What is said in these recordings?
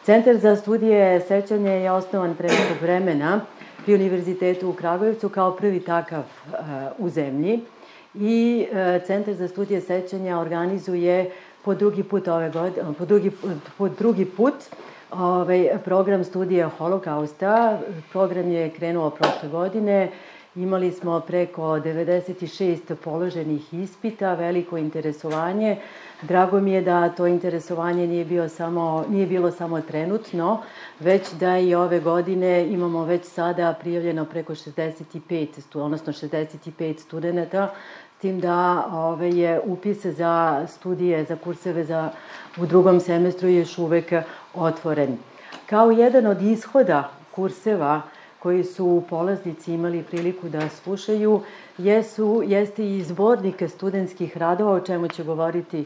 Centar za studije sećanja je osnovan pre nekog vremena pri Univerzitetu u Kragujevcu kao prvi takav u zemlji i Centar za studije sećanja organizuje po drugi put program studija Holokausta. Program je krenuo prošle godine. Imali smo preko 96 položenih ispita, veliko interesovanje. Drago mi je da to interesovanje nije bilo samo trenutno, već da i ove godine imamo već sada prijavljeno preko 65 studenta, s tim da je upis za studije, za kurseve u drugom semestru još uvek otvoren. Kao jedan od ishoda kurseva koji su polaznici imali priliku da slušaju, jeste i zbornik studentskih radova, o čemu će govoriti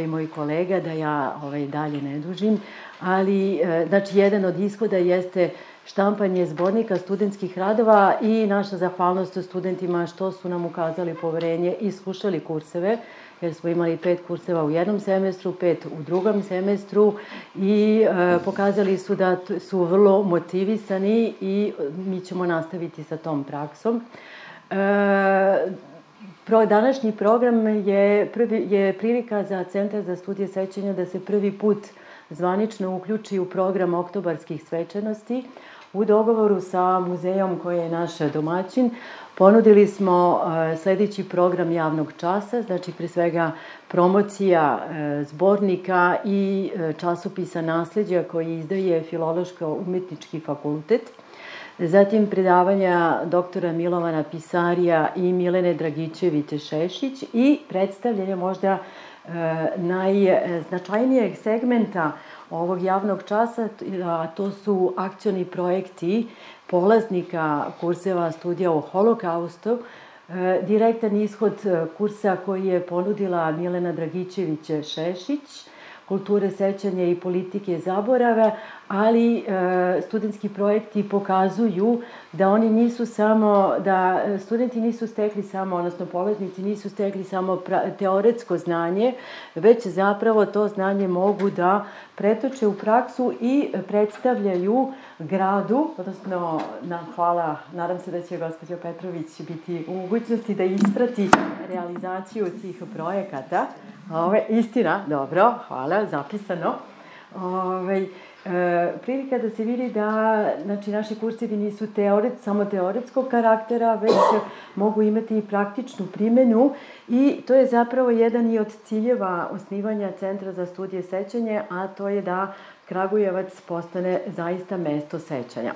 moj kolega, da ja dalje ne dužim, ali znači jedan od ishoda jeste štampanje zbornika studentskih radova i naša zahvalnost studentima što su nam ukazali poverenje i slušali kurseve, jer smo imali 5 kurseva u jednom semestru, 5 u drugom semestru i pokazali su da su vrlo motivisani i mi ćemo nastaviti sa tom praksom. Današnji program je prilika za Centar za studije sećanja da se prvi put zvanično uključi u program oktobarskih svečanosti. U dogovoru sa muzejom koji je naš domaćin ponudili smo sledeći program javnog časa, znači pre svega promocija zbornika i časopisa Nasleđa koji izdaje Filološko-umetnički fakultet. Zatim predavanja doktora Milovana Pisarija i Milene Dragićević-Šešić i predstavljanje možda najznačajnijeg segmenta ovog javnog časa, a to su akcioni projekti polaznika kurseva studija o Holokaustu, direktan ishod kursa koji je ponudila Milena Dragićević-Šešić, kulture sećanja i politike zaborava, ali studentski projekti pokazuju da studenti nisu stekli samo, odnosno polaznici nisu stekli samo teoretsko znanje, već zapravo to znanje mogu da pretoče u praksu i predstavljaju gradu, odnosno hvala, nadam se da će gospođa Petrović biti u mogućnosti da isprati realizaciju tih projekata. Istina, dobro, hvala, zapisano. Prilika da se vidi da naši kursevi nisu samo teoretskog karaktera, već mogu imati i praktičnu primenu i to je zapravo jedan i od ciljeva osnivanja Centra za studije sećanja, a to je da Kragujevac postane zaista mesto sećanja.